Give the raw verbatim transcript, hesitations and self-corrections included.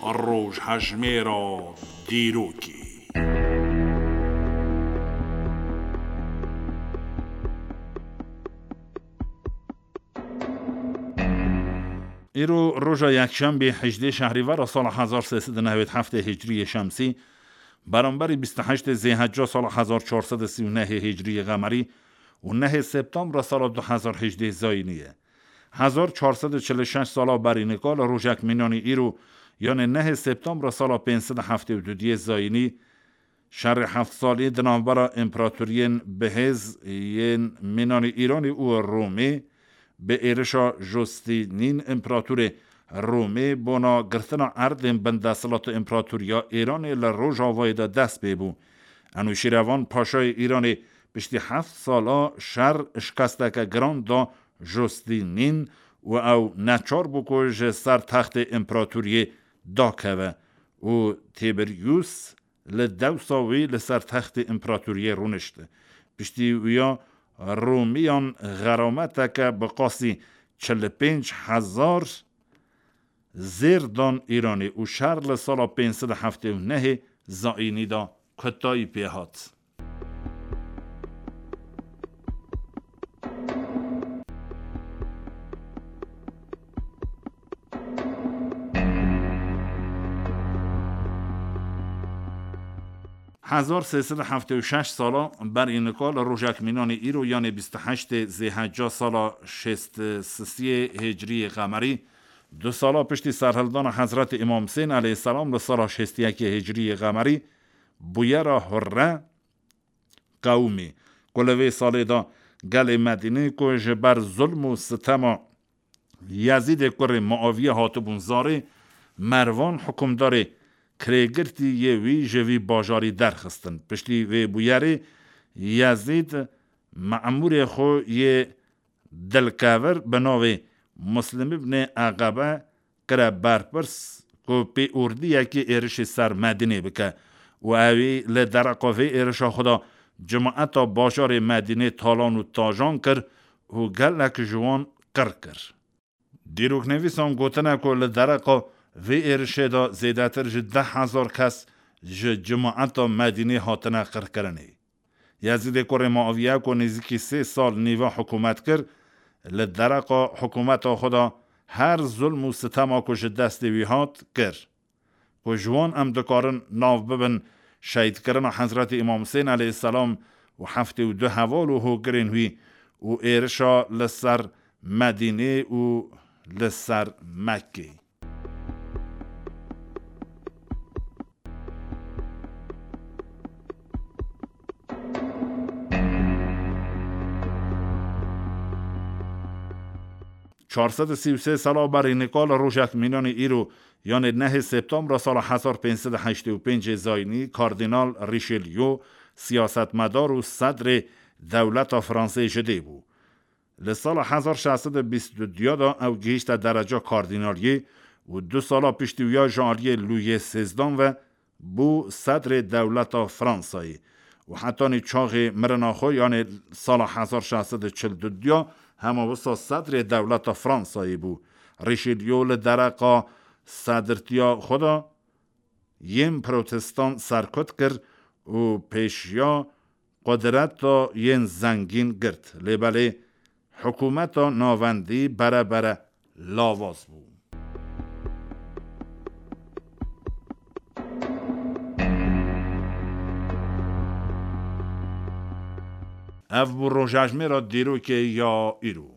Rojhejmêra dîrokê. Îro roja yekşembê hejdê şehrîvera sala hezar sê sed û newêd heftê hicriyê şemsî, beramberî bîst û heştê zêhecca sala hezar çar sed û sî û nehê hicriyê qemerî û nehê septembra sala du hezar hejdê zayînî ye. Hezar çar sed û çil û şeş sala berî nika li rojek mînanî îro, yanê nehê septembra sala pênc sed û heftê û du diyê zayînî, şerê heft salî di navbera împeratoriyên bihêz yên mînanî Îranê û Romê, bi êrişa Justînîn împeratorê Romê bona girtina erdên bin desthilata împeratoriya Îranê li Rojavayê de dest pê bû. Enûşîrevan Paşayê Îranê piştî heft sala şer şikesteke giran da Justînîn û ew neçar bû ku ji ser textê împeratoriyê dakeve û Tîberyûs li dewsa wî li ser textê împeratoriyê rûnişt. Piştî wîya Romiyan xerameteke bi qasî çil û pênc hezar zêr dan Îranê û şer li sala pênc sed û heftê û nehê zayînî de kutayî pê hat. Hezar sê sed û heftê û şeş sala berî nika li rojek mînanê îro, yanê bîst û heştê zêhecca sala şêst û sisiyê hicriyê qemerî, du sala piştî serhildana Hezretî Îmam Husên aleyhisselam li sala şêst û yekê hicriyê qemerî, bûyera Hurre qewimî, ku li vê salê de gelê Medînê ku ji ber zulm û sitema Yezîdê kurê Muaviyê hatibûn zarê, Mervan hukimdarê kirêgirtî yê wî ji vî bajarî derxistin. Piştî vê bûyerê Yezîd memûrê xwe yê dilkevir bi navê Muslim ibnê Eqebe kire berpirs ku pêordiyekê êrişê ser Medînê bike û ewî li dereqa vê êrişa xwe de cimaeta bajarê Medînê talan û tajan kir û gelek ji wan qir kir. Dîroknivîsan gotine ku li dereqa vê êrişê de zêdetir ji deh hezar kes ji cimaeta Medînê hatine qirkirinê. Yezîdê kurê Muaviye ku nêzîkî sê sal nîva hikûmet kir, li dereqa hikûmeta xwe de her zulm û sitema ku ji destê wî hat, kir. Ku ji wan em dikarin nav bibin şehîdkirina Hezretî Îmam Husên aleyhisselam û heftê û du heval û hogirên wî û êrişa li ser Medînê û li ser Mekkê. Çar sed û sî û sê sala berî nika li rojek mînanê îro, yanê nehê septembra sala hezar pênc sed û heştê û pêncê zayînî, Kardînal Richelieu, siyasetmedar û sedrê dewleta Fransê ji dê bû. Li sala hezar şeş sed û bîst û du de ew gihîşte dereca kardînaliyê û du sala piştî wîya ji aliyê Lûyê sêzdan ve bû sedrê dewleta Fransayê û hetanî çaxê mirina xwe, yanê sala hezar şeş sed û çil û du, hema wisa sedrê dewleta Fransayê bû. Richelieu li dereqa sedrtiya xwe de yên protestan serkut kir û pêşiya qudreta yên zengîn girt. Lê belê hikûmeta navendî bere bere lawaz bû. Ev bû rojejmêra dîrokê ya îro.